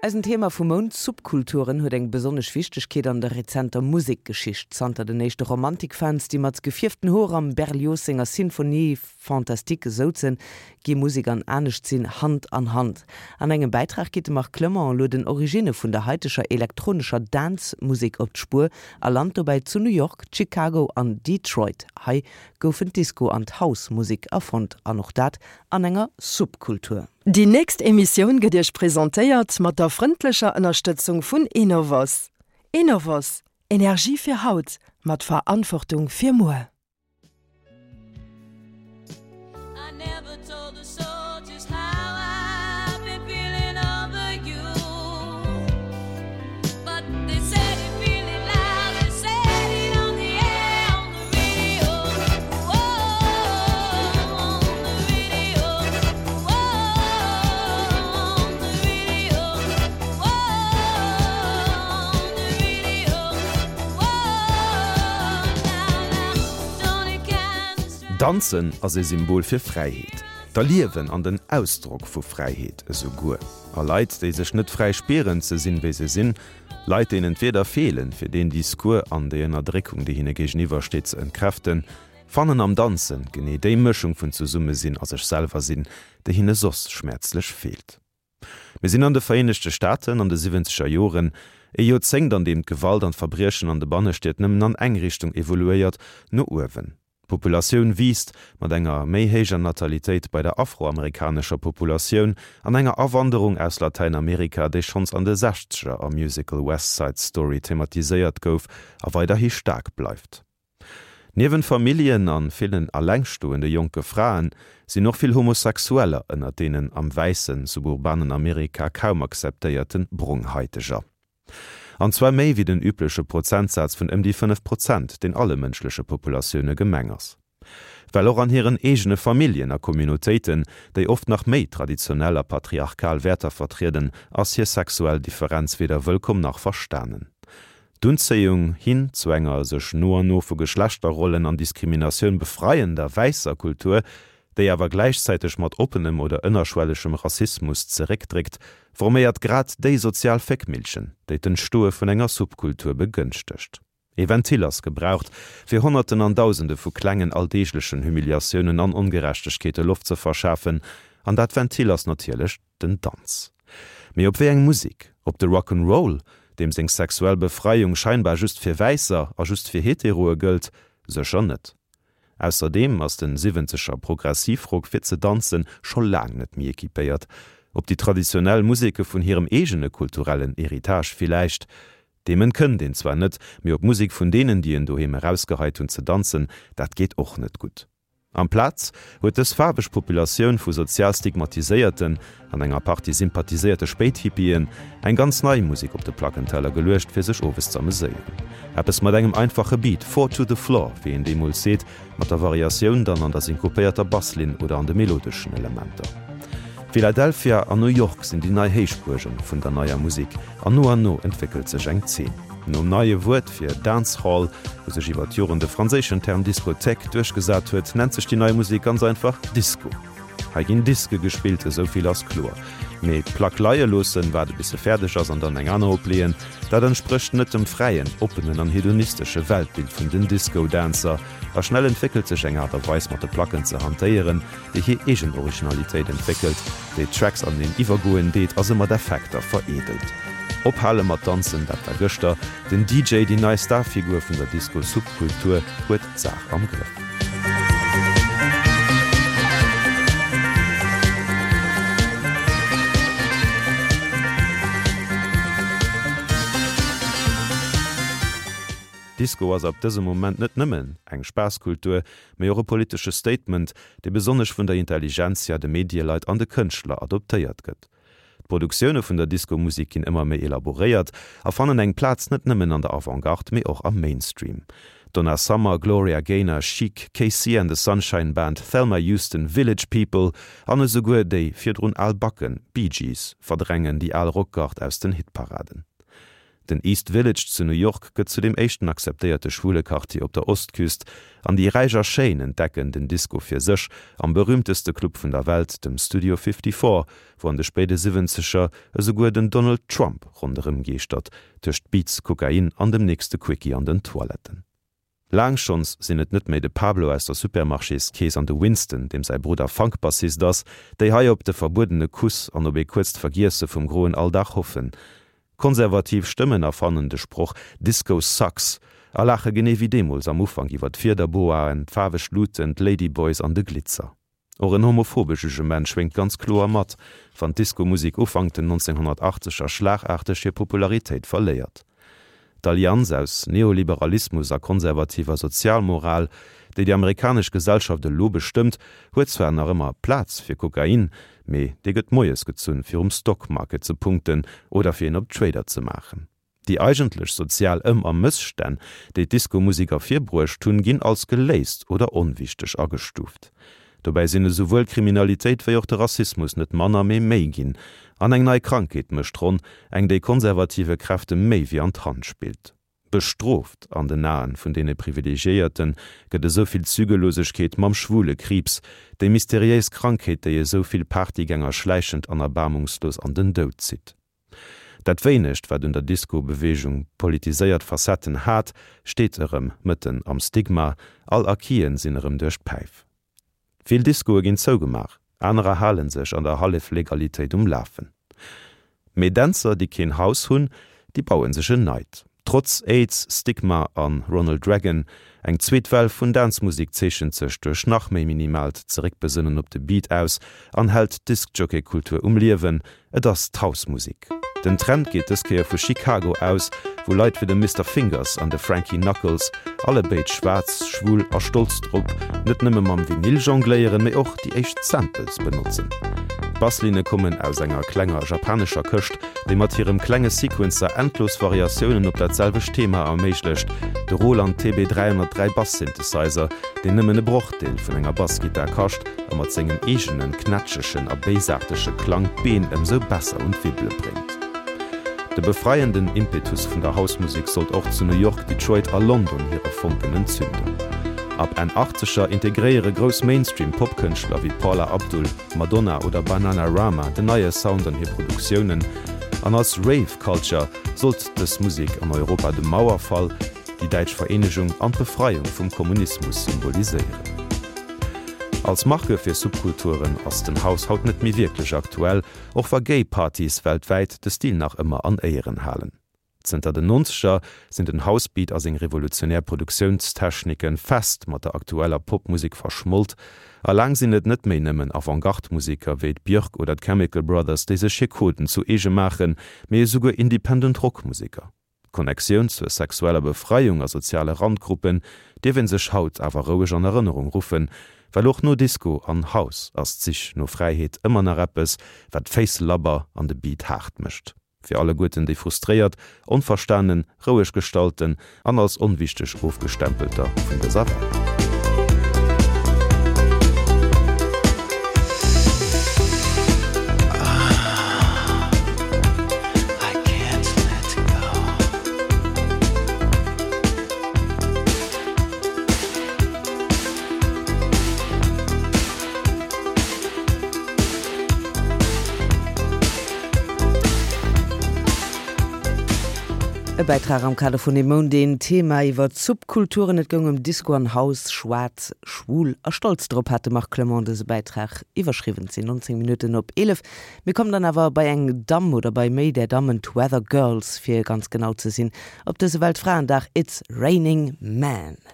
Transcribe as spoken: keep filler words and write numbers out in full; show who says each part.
Speaker 1: Eisen Thema vum Mount, Subkulturen, huet eng besonnesch Wichtegkeet an der rezenter Musekgeschicht. Zanter den éischte Romantikfans, déi mat gefierften Hoer am Berlioz senger Symphonie fantastique souzen, gi Musek an Aneschtsinn Hand an Hand. An engem Bäitrag geet de Marc Clement elo den Originne vun der haiteger elektronescher Dance-Musek op d'Spuer a lant dobäi zu New York, Chicago an Detroit. Hei goufen d'Disco an d'House-Musek erfonnt, an och dat an enger Subkultur.
Speaker 2: Déi nächst Emissioun gëtt Iech presentéiert mat der frëndlecher Ënnerstëtzung vun Enovos. Enovos, Energie fir haut, mat Verantwortung fir muer.
Speaker 3: I never told the soldiers how I've been feeling over you. But they said it really loud, they said it on the air, on the radio. Whoa, on the radio. Whoa, on the radio. Whoa, on the radio. Whoa, now, now, don't it kinda
Speaker 4: Danzen ass e Symbol fir Fräiheet. D'Erliewen an den Ausdrock vu Fräiheet esouguer. A Leit, déi sech net fräi spieren ze sinn, wéi se sinn, Leit, deenen d'Wierder feelen, fir deen Discours an déi Ënnerdréckung, déi hinne géigeniwwer steet, ze entkräften, fannen am Danzen genee déi Mëschung vun Zesummesinn a sech selwer sinn, déi hinne soss schmäerzlech feelt. Mir sinn an de Vereenegte Staaten an de siwwenzeger Joren, e Joerzéngt, an deem d'Gewalt an d'Verbriechen an de Bannestied nëmmen an eng Richtung evoluéiert, no uewen. D'Populatioun wiisst, mat enger méi héijer Natalitéit bei der afroamerikanescher Populatioun an enger Awanderung aus Latäinamerika, déi schonns an de Sechzeger am Musical West Side Story thematiséiert gouf a weiderhi staark bleift. Niewent Familljen a villen allengstoende jonke Fraen sinn och vill Homosexueller ënnert deenen am wäissen, suburbanen Amerika kaum akzeptéierte Bronghaiteger. An zwar méi wéi den übleche Prozentsaz vun ëm déi fënnef Prozent, deen alle mënschleche Populatioune gemeng ass. Well och an hiren eegene Familljen a Communautéiten, déi oft nach méi traditionell a patriarchal Wäerter vertrieden, ass hir sexuell Differenz weder wëllkomm nach verstanen. D'Unzéiung hin zu enger sech no an no vu Geschlechterrollen an Diskriminatioun befreiender wäisser Kultur, déi awer gläichzäiteg mat oppenem oder ënnerschwellegem Rassismus zeréckdréckt, forméiert grad déi sozial Féckmillchen, déi d'Entstoe vun enger Subkultur begënschtegt. E Ventil ass gebraucht, fir Honnerten an Dausende vu klengen alldeeglechen Humiliatiounen an Ongerechtegkeete Loft ze verschafen, an dat Ventil ass natierlech den Danz. Mee op wéi eng Musek? Op de Rock 'n' Roll, deem seng sexuell Befreiung scheinbar just fir Wäisser a just fir Heteroe gëllt? Sécher net. Ausserdeem ass de siwwenzeger Progressivrock fir ze danzen scho laang net méi equipéiert. Op déi traditionell Museke vun hirem eegene kulturellen Héritage villäicht? Deem entkënnt een zwar net, mee op Musek vun deenen, déi en doheem erausgeheit hunn, ze danzen, dat geet och net gutt. Amplaz huet dës faarweg Populatioun vu sozial stigmatiséierten an enger Partie sympathiséierte Spéithippien eng ganz nei Musek op de Plackenteller geluecht, fir sech owes ze ameséieren. Eppes mat engem einfache Beat, Four to the floor, wéi een deemools seet, mat der Variatioun dann an der synkopéierter Basslinn oder an de melodeschen Elementer. Philadelphia an New York sinn déi nei Héichbuerge vun der neier Musek an no an no entwéckelt sech eng Zeen. Nom neie Wuert fir Dancehall, wou sech iwwer d'Joren de franséischen Term Discothèque duerchgesat huet, nennt sech déi nei Musek ganz einfach Disco. Hei ginn Diske gespillt, esou vill ass kloer. Mee d'Plack leie loossen, waarde bis se fäerdeg ass an dann eng aner opleeën, dat entsprécht net dem fräien, oppenen an hedonistesche Weltbild vun den Disco-Dancer. A schnell entwéckelt sech eng Aart a Weis mat de Placken ze hantéieren, déi hir eegen Originalitéit entwéckelt, déi d'Tracks aneneen iwwergoen deet a se mat Effekter vereedelt. Ophale mat danzen, dat war gëschter. Den D J, déi nei Starfigur vun der Disco-Subkultur, huet d'Saach am Grëff. Disco ass ab dësem Moment net nëmmen eng Spaasskultur, mee och e politesche Statement, dee besonnesch vun der Intelligentsia, de Medieleit an de Kënschtler adoptéiert gëtt. D'Produktioune vun der Disco-Musek ginn ëmmer méi elaboréiert a fannen eng Plaz net nëmmen an der Avantgarde, mee och am Mainstream. Donna Summer, Gloria Gaynor, Chic, K C and the Sunshine Band, Thelma Houston, Village People an esouguer déi virdrun al Backen, Bee Gees, verdrängen déi al Rockgard aus den Hitparaden. Den East Village zu New York gëtt zu dem éischten akzeptéierte schwule Quartier op der Ostküst, an déi Räich a Schéin entdecken den Disco fir sech am berüümteste Club vun der Welt, dem Studio fifty-four, wou an de spéide Siwwenzeger esouguer den Donald Trump ronderëm geeschtert, tëscht Beats, Kokain an dem nächste Quickie an den Toiletten. Laang schonns sinn et net méi de Pablo aus der Supermarchéskeess an de Winston, deem säi Brudder Funk-Bassist ass, déi hei op de verbuedene Kuss an op ee kuerzt Vergiesse vum groen Alldag hoffen. Konservativ Stëmmen erfannen de Sproch Disco sucks a laache genee wéi deemools am Ufank iwwer d'Fiederboaen, d'faarweg Luuten, d'Ladyboys an de Glitzer. Och en homophobe Jugement schwéngt ganz kloer mat, wann d'Disco-Musek Ufank den nonzénghonnertachteger schlagarteg hir Popularitéit verléiert. D'Allianz aus Neoliberalismus a konservativer Sozialmoral, déi déi amerikanesch Gesellschaft elo bestëmmt, huet zwar nach ëmmer Plaz fir Kokain, mee dee gëtt moies gezunn, fir um Stockmarket ze punkten oder fir een op Trader ze maachen. Déi eigentlech sozial Ëm a Mësstänn, déi d'Disco-Musek ervirbruecht hunn, ginn als geléist oder onwichteg agestuuft. Dobäi sinn esouwuel d'Kriminalitéit wéi och de Rassismus net manner, mee méi ginn. An eng nei Krankheet mécht d'Ronn, eng déi konservative Kräfte méi wéi an d'Hand spillt. Bestrooft an den Aen vun deene Privilegiéierte gëtt esou vill Zügellosegkeet mam Schwulekriibs, déi mysteriéis Krankheet, déi esou vill Partygänger schläichend an erbaarmungslos an den Doud zitt. Dat wéinegt, wat un der Disco-Beweegung politiséiert Facetten hat, steet erëm mëtten am Stigma, all Acquisen sinn erëm duerch d'Päif. Vill Discoe ginn zougemaach, anerer hale sech an der Halleflegalitéit um Lafen. Mee Dänzer, déi keen Haus hunn, déi baue sech en neit. Trotz Aids, Stigma a Ronald Reagan, eng zweet Well vun Dance-Musek zeechent sech duerch nach méi minimaalt Zeréckbesënnen op de Beat aus an hält d'Diskjockey-Kultur um Liewen, et ass d'House-Musek. Den Trend geet dës Kéier vu Chicago aus, wou Leit wéi de Mister Fingers an de Frankie Knuckles, allebéid schwaarz, schwul a stolz drop, net nëmme mam Vinyl jongléieren, mee och déi éischt Samples benotzen. D'Basslinne kommen aus enger klenger japanescher Këscht, déi mat hirem klenge Sequencer endlos Variatiounen op dat selwecht Thema erméiglecht, de Roland T B dräihonnertdräi Bass Synthesizer, deen nëmmen e Brochdeel vun enger Bassgittar kascht a mat sengem eegenen knätschegen a béisaartege Klang d'Been ëmsou besser un d'Wibbele bréngt. De befreienden Impetus vun der House-Musek sollt och zu New York, Detroit a London hire Fonken entzünden. Ab Enn Achtzeger integréiere grouss Mainstream-Pop-Kënschtler wéi Paula Abdul, Madonna oder Bananarama den neie Sound an hir Produktiounen. An als Rave Culture sollt dës Musek an Europa de Mauerfall, déi däitsch Vereenegung an d'Befreiung vum Kommunismus symboliséieren. Als Marke fir Subkulturen ass den House haut net méi wierklech aktuell, och wa Gay Partys weltwäit de Stil nach ëmmer an Éieren halen. Zënter den Nonzeger sinn den House-Beat a seng revolutionär Produktiounstechniken fest mat der aktueller Popmusek verschmolt, a laang sinn et net méi nëmmen Avantgarde-Museker wéi d'Björk oder d'Chemical Brothers, déi sech hir Coden zu eege maachen, mee esouguer Independent Rockmuseker. D'Connectioun zur sexueller Befreiung a soziale Randgruppen dierf ee sech haut awer roueg an Erënnerung ruffen, well och no Disco an House ass d'Sich no Fräiheet ëmmer nach eppes, wat d'Féiss labber an de Beat haart mécht. Fir alleguerten déi frustréiert, onverstanen, roueg gestallten an als onwichteg ofgestempelter vun dëser Welt.
Speaker 1: E Bäitrag am Kader vun dem Moundeen Thema iwwer d'Subkulturen. Et goung ëm Disco an House, schwaarz, schwul a stolz drop, hat de Marc Clement dëse Bäitrag iwwerschriwwen. Et sinn nonzéng Minutten op eelef. Mir kommen dann awer bei eng Damm oder bei méi där Dammen, d'Weather Girls fir ganz genau ze sinn, op dëse Weltfraendag, It's Raining Men.